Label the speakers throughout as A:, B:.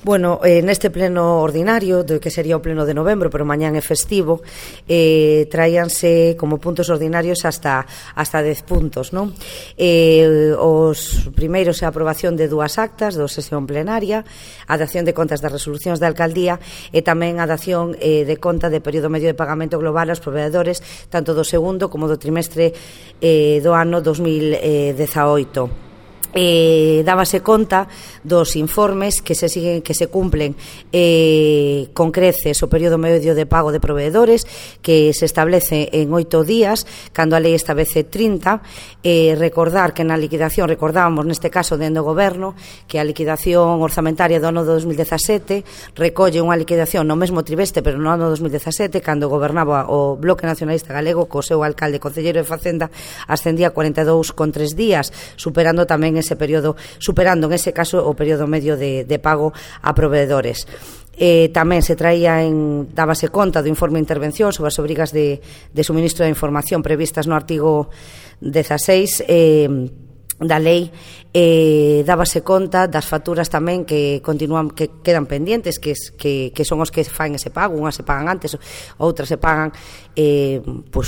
A: Bueno, neste pleno ordinario, que sería o pleno de novembro, pero mañán é festivo, traíanse como puntos ordinarios hasta 10 puntos, non? Os primeiros é a aprobación de 2 actas do sesión plenaria, a dación de contas das resolucións da alcaldía e tamén a dación de conta de período medio de pagamento global aos proveedores, tanto do segundo como do trimestre do ano 2018. Dábase conta dos informes que se cumplen con creces o período medio de pago de proveedores, que se establece en 8 días, cando a lei establece 30. Recordar que na liquidación, recordábamos neste caso dentro do goberno, que a liquidación orzamentaria do ano 2017 recolle unha liquidación no mesmo trimestre, pero no ano 2017, cando gobernaba o Bloque Nacionalista Galego, co seu alcalde concelleiro de Facenda, ascendía a 42,3 días, superando tamén ese período, superando en ese caso o período medio de pago a proveedores. Tamén se dábase conta do informe de intervención sobre as obrigas de suministro de información previstas no artigo 16 da lei. Dábase conta das facturas tamén que quedan pendentes, que son os que fan ese pago. Unhas se pagan antes, outras se pagan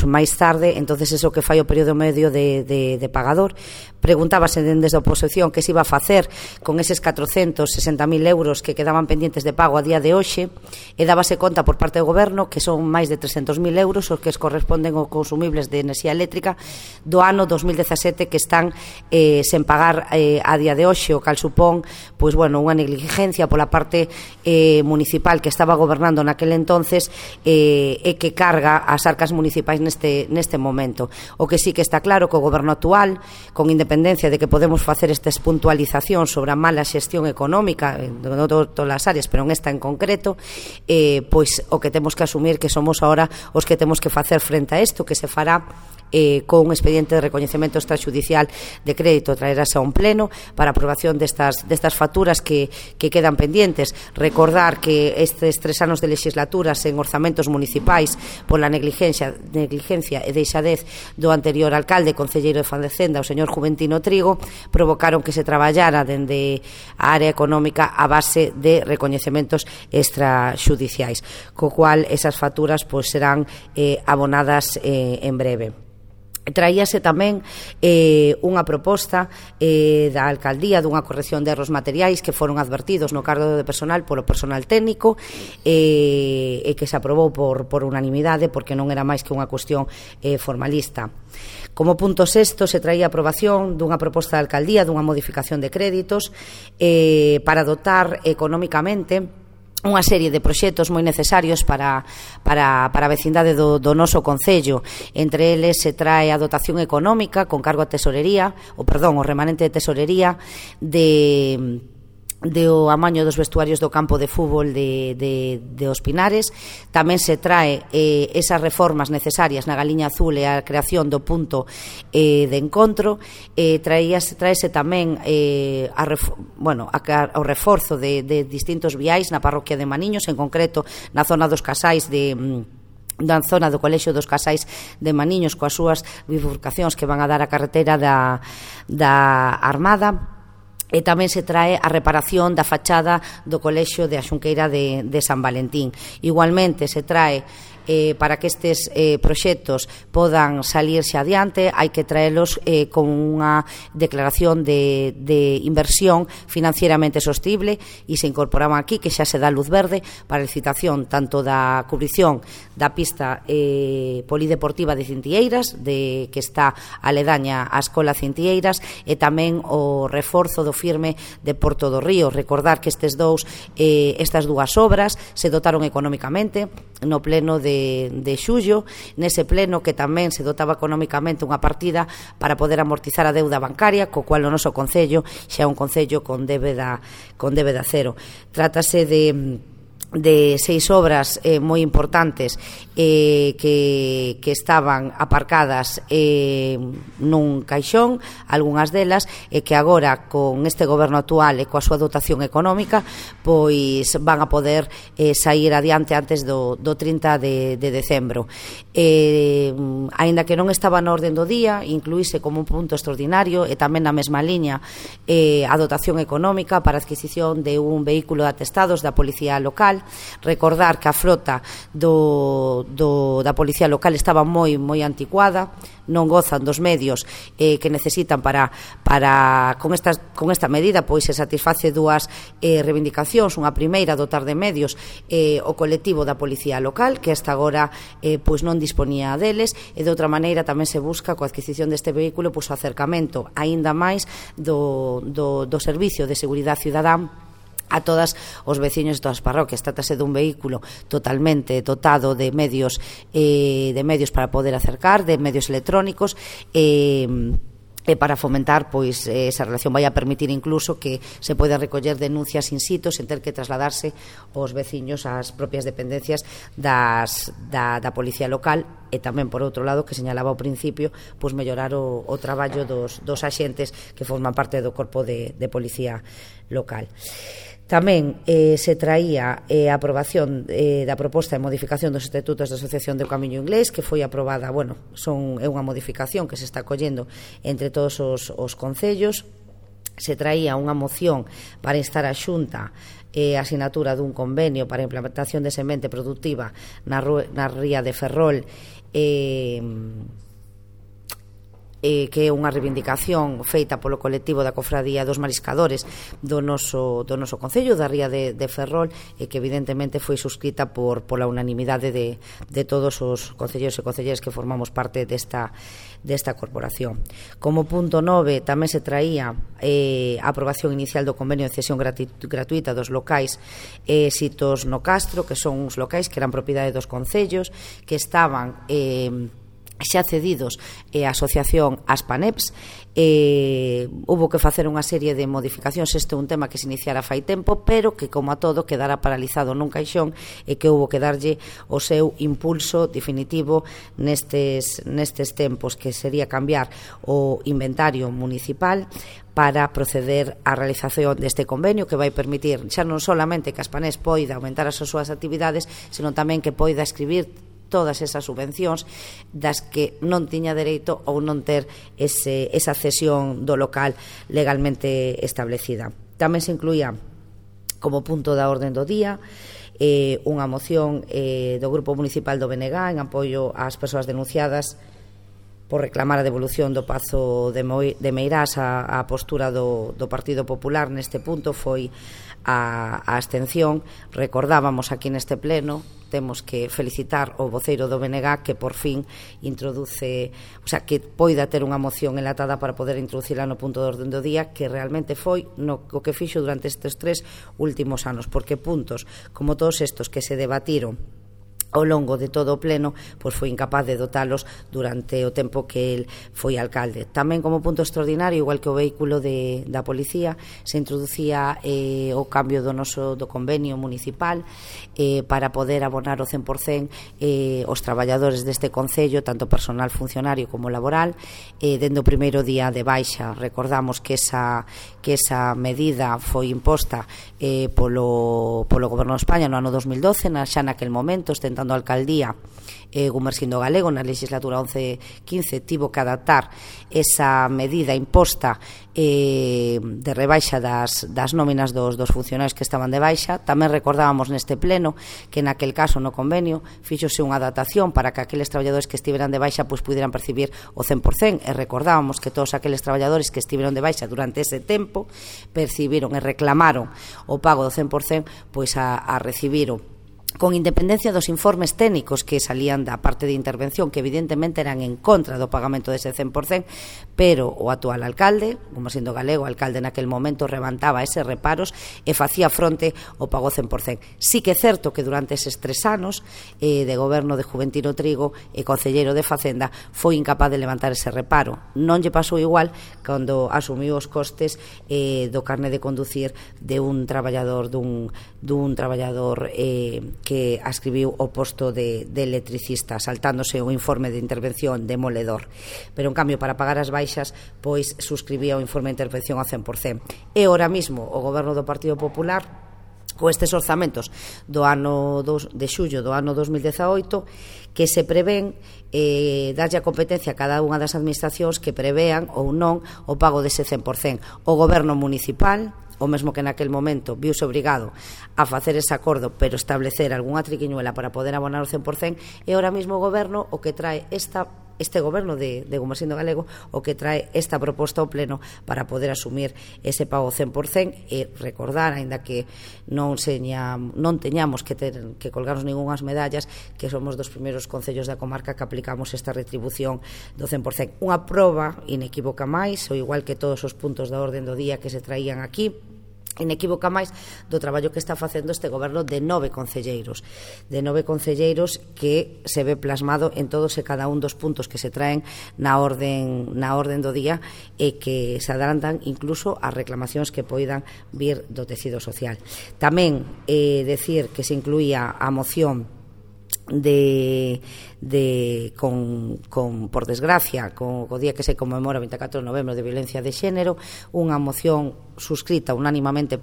A: máis tarde. Entonces eso que fai o período medio de pagador. Preguntábase desde a oposición que se iba a facer con eses 460.000 euros que quedaban pendientes de pago a día de hoxe, e dábase conta por parte do goberno que son máis de 300.000 euros os que corresponden aos consumibles de enerxía eléctrica do ano 2017 que están sen pagar a día de hoxe, o cal supón unha negligencia pola parte municipal que estaba gobernando naquele entonces e que carga as arcas municipais neste momento. O que sí que está claro que o goberno actual, con independencia de que podemos facer estas puntualizacións sobre a mala xestión económica en todas as áreas, pero en esta en concreto, o que temos que asumir que somos ahora os que temos que facer frente a isto, que se fará con un expediente de recoñecemento extrajudicial de crédito, traerase a un pleno para aprobación destas facturas que quedan pendientes. Recordar que estes 3 anos de legislaturas en orzamentos municipais pola negligencia e deixadez do anterior alcalde concelleiro de Facenda, o señor Juventino Trigo, provocaron que se traballara dende a área económica a base de recoñecementos extrajudiciais, co cual esas facturas serán abonadas en breve. Traíase tamén unha proposta da alcaldía dunha corrección de erros materiais que foron advertidos no cargo de personal polo personal técnico e que se aprobou por unanimidade porque non era máis que unha cuestión formalista. Como punto sexto se traía a aprobación dunha proposta da alcaldía dunha modificación de créditos para dotar económicamente unha serie de proxectos moi necesarios para a vecindade do noso concello. Entre eles se trae a dotación económica con cargo a tesorería, o remanente de tesorería do amaño dos vestuarios do campo de fútbol de Os Pinares. Tamén se trae esas reformas necesarias na Galiña Azul e a creación do punto de encontro. Traese tamén o reforzo de distintos viais na parroquia de Maniños, en concreto na zona dos Casais da zona do Colexio dos Casais de Maniños, coas súas bifurcacións que van a dar a carretera da Armada. E tamén se trae a reparación da fachada do Colexio de a Xunqueira de San Valentín. Igualmente se trae para que estes proxectos podan salirse adiante, hai que traelos con unha declaración de inversión financieramente sostible, e se incorporaban aquí que xa se dá luz verde para a licitación tanto da cubrición da pista polideportiva de Cintieiras, que está aledaña á Escola Cintieiras, e tamén o reforzo do firme de Porto do Río. Recordar que estas dúas obras se dotaron económicamente no pleno de xullo, nese pleno que tamén se dotaba económicamente unha partida para poder amortizar a deuda bancaria, co cual o noso concello xa é un concello con débeda cero. Trátase de de 6 obras moi importantes que estaban aparcadas nun caixón, algunhas delas, e que agora con este goberno actual e coa súa dotación económica pois van a poder sair adiante antes do 30 de decembro. Aínda que non estaba na orden do día, incluíse como un punto extraordinario e tamén na mesma liña a dotación económica para a adquisición de un vehículo de atestados da Policía Local. Recordar que a frota da Policía Local estaba moi anticuada, non gozan dos medios que necesitan para con esta medida pois se satisface dúas reivindicacións. Unha primeira, dotar de medios o colectivo da Policía Local, que hasta agora pois non disponía deles, e de outra maneira tamén se busca coa adquisición deste vehículo pois o acercamento aínda máis do Servicio de Seguridade Cidadán a todas os veciños de todas as parroquias. Trátase dun vehículo totalmente dotado de medios para poder acercar, de medios electrónicos, e para fomentar pois esa relación. Vai a permitir incluso que se poida recoller denuncias in situ sen ter que trasladarse os veciños ás propias dependencias da Policía Local, e tamén, por outro lado, que señalaba ao principio, pois mellorar o traballo dos axentes que forman parte do corpo de Policía Local. Tamén se traía a aprobación da proposta de modificación dos estatutos da Asociación do Camiño Inglés, que foi aprobada, é unha modificación que se está collendo entre todos os concellos. Se traía unha moción para instar a Xunta a asinatura dun convenio para a implementación de semente productiva na ría de Ferrol, que é unha reivindicación feita polo colectivo da Cofradía dos Mariscadores do noso concello da ría de Ferrol, e que evidentemente foi suscrita pola unanimidade de todos os concelleiros e concelleiras que formamos parte desta corporación. Como punto 9 tamén se traía a aprobación inicial do convenio de cesión gratuita dos locais sitos no Castro, que son uns locais que eran propiedade dos concellos, que estaban xa cedidos a asociación Aspaneps. Hubo que facer unha serie de modificacións. Este é un tema que se iniciara fai tempo, pero que, como a todo, quedara paralizado nun caixón, e que hubo que darlle o seu impulso definitivo nestes tempos, que sería cambiar o inventario municipal para proceder á realización deste convenio, que vai permitir xa non solamente que Aspaneps poida aumentar as súas actividades, senón tamén que poida escribir todas esas subvencións das que non tiña dereito ou non ter esa cesión do local legalmente establecida. Tamén se incluía como punto da orde do día unha moción do Grupo Municipal do BNG en apoio ás persoas denunciadas por reclamar a devolución do Pazo de Meirás. A postura do Partido Popular neste punto foi a abstención. Recordábamos aquí neste pleno, temos que felicitar o voceiro do BNG que por fin introduce, que poida ter unha moción enlatada para poder introducila no punto de orden do día, que realmente foi o que fixo durante estes 3 últimos anos, porque puntos como todos estos que se debatiron ao longo de todo o pleno, pois foi incapaz de dotalos durante o tempo que el foi alcalde. Tamén como punto extraordinario, igual que o vehículo da policía, se introducía o cambio do convenio municipal para poder abonar o 100% os traballadores deste concello, tanto personal funcionario como laboral, dende o primeiro día de baixa. Recordamos que esa medida foi imposta polo Goberno de España no ano 2012, xa naquel momento, ostentando a alcaldía Gumersindo Galego na legislatura 11-15, tivo que adaptar esa medida imposta de rebaixa das nóminas dos funcionarios que estaban de baixa. Tamén recordábamos neste pleno que naquel caso no convenio fíxose unha adaptación para que aqueles traballadores que estiveran de baixa pois puderan percibir o 100%, e recordábamos que todos aqueles traballadores que estiveron de baixa durante ese tempo percibiron e reclamaron o pago do 100%, pois a recibir con independencia dos informes técnicos que salían da parte de intervención, que evidentemente eran en contra do pagamento dese 100%, pero o actual alcalde, como sendo galego, alcalde naquel momento, levantaba eses reparos e facía fronte ao pago 100%. Sí que é certo que durante eses 3 anos de goberno de Juventino Trigo e concelleiro de Facenda foi incapaz de levantar ese reparo. Non lle pasou igual cando asumiu os costes do carné de conducir de un traballador que ascribiu o posto de electricista, saltándose o informe de intervención demoledor. Pero, en cambio, para pagar as baixas, pois suscribía o informe de intervención ao 100%. E, ahora mismo, o goberno do Partido Popular, con estes orzamentos do ano de xullo do ano 2018, que se prevén darlle a competencia a cada unha das administracións que prevean ou non o pago dese 100%. O goberno municipal, o mesmo que naquel momento viuse obrigado a facer ese acordo, pero establecer algunha triquiñuela para poder abonar o 100%, e ahora mesmo o goberno o que trae este goberno de Gomosindo Galego, o que trae esta proposta ao pleno para poder asumir ese pago 100%, e recordar, aínda que non teñamos que colgarnos ningunhas medallas, que somos dos primeiros concellos da comarca que aplicamos esta retribución do 100%. Unha proba inequívoca máis, ou igual que todos os puntos da orden do día que se traían aquí, inequívoca máis do traballo que está facendo este goberno de 9 concelleiros que se ve plasmado en todos e cada un dos puntos que se traen na orden do día, e que se adelantan incluso as reclamacións que poidan vir do tecido social. Tamén decir que se incluía a moción por desgracia, con o día que se conmemora 24 de novembro de violencia de xénero, unha moción suscrita unánimemente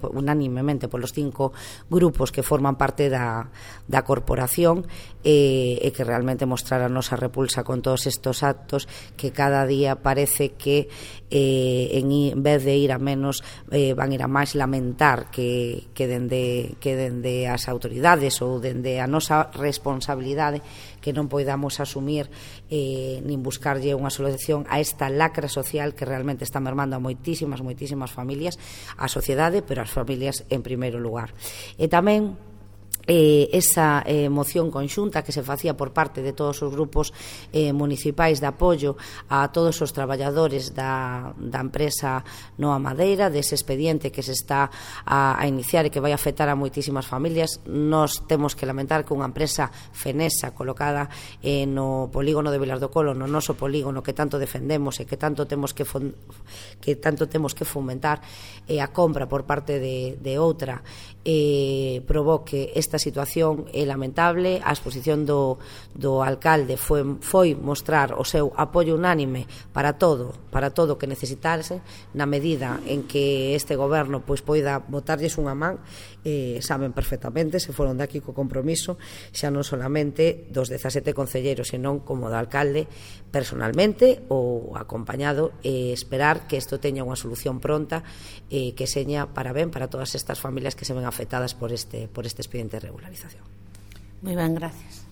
A: polos 5 grupos que forman parte da corporación, e que realmente mostrara a nosa repulsa con todos estes actos que cada día parece que en vez de ir a menos van a ir a máis, lamentar que dende as autoridades ou dende a nosa responsabilidade que non poidamos asumir nin buscarlle unha solución a esta lacra social que realmente está mermando a moitísimas familias, a sociedade, pero as familias en primeiro lugar. E tamén esa moción conxunta que se facía por parte de todos os grupos municipais de apoio a todos os traballadores da empresa Noa Madeira, dese expediente que se está a iniciar e que vai afectar a moitísimas familias. Nos temos que lamentar que unha empresa fenesa colocada no polígono de Vilar do Colo, no noso polígono que tanto defendemos e que tanto temos que fomentar, a compra por parte de outra provoque esta situación é lamentable. A exposición do alcalde foi mostrar o seu apoio unánime para todo que necesitarse, na medida en que este goberno pois poida botarlles unha man. Saben perfectamente, se foron daqui co compromiso, xa non solamente dos 17 concelleiros, senón como do alcalde personalmente ou acompañado, esperar que isto teña unha solución pronta, que seña para ben para todas estas familias que se ven afectadas por este expediente de regularización.
B: Moi ben, gracias.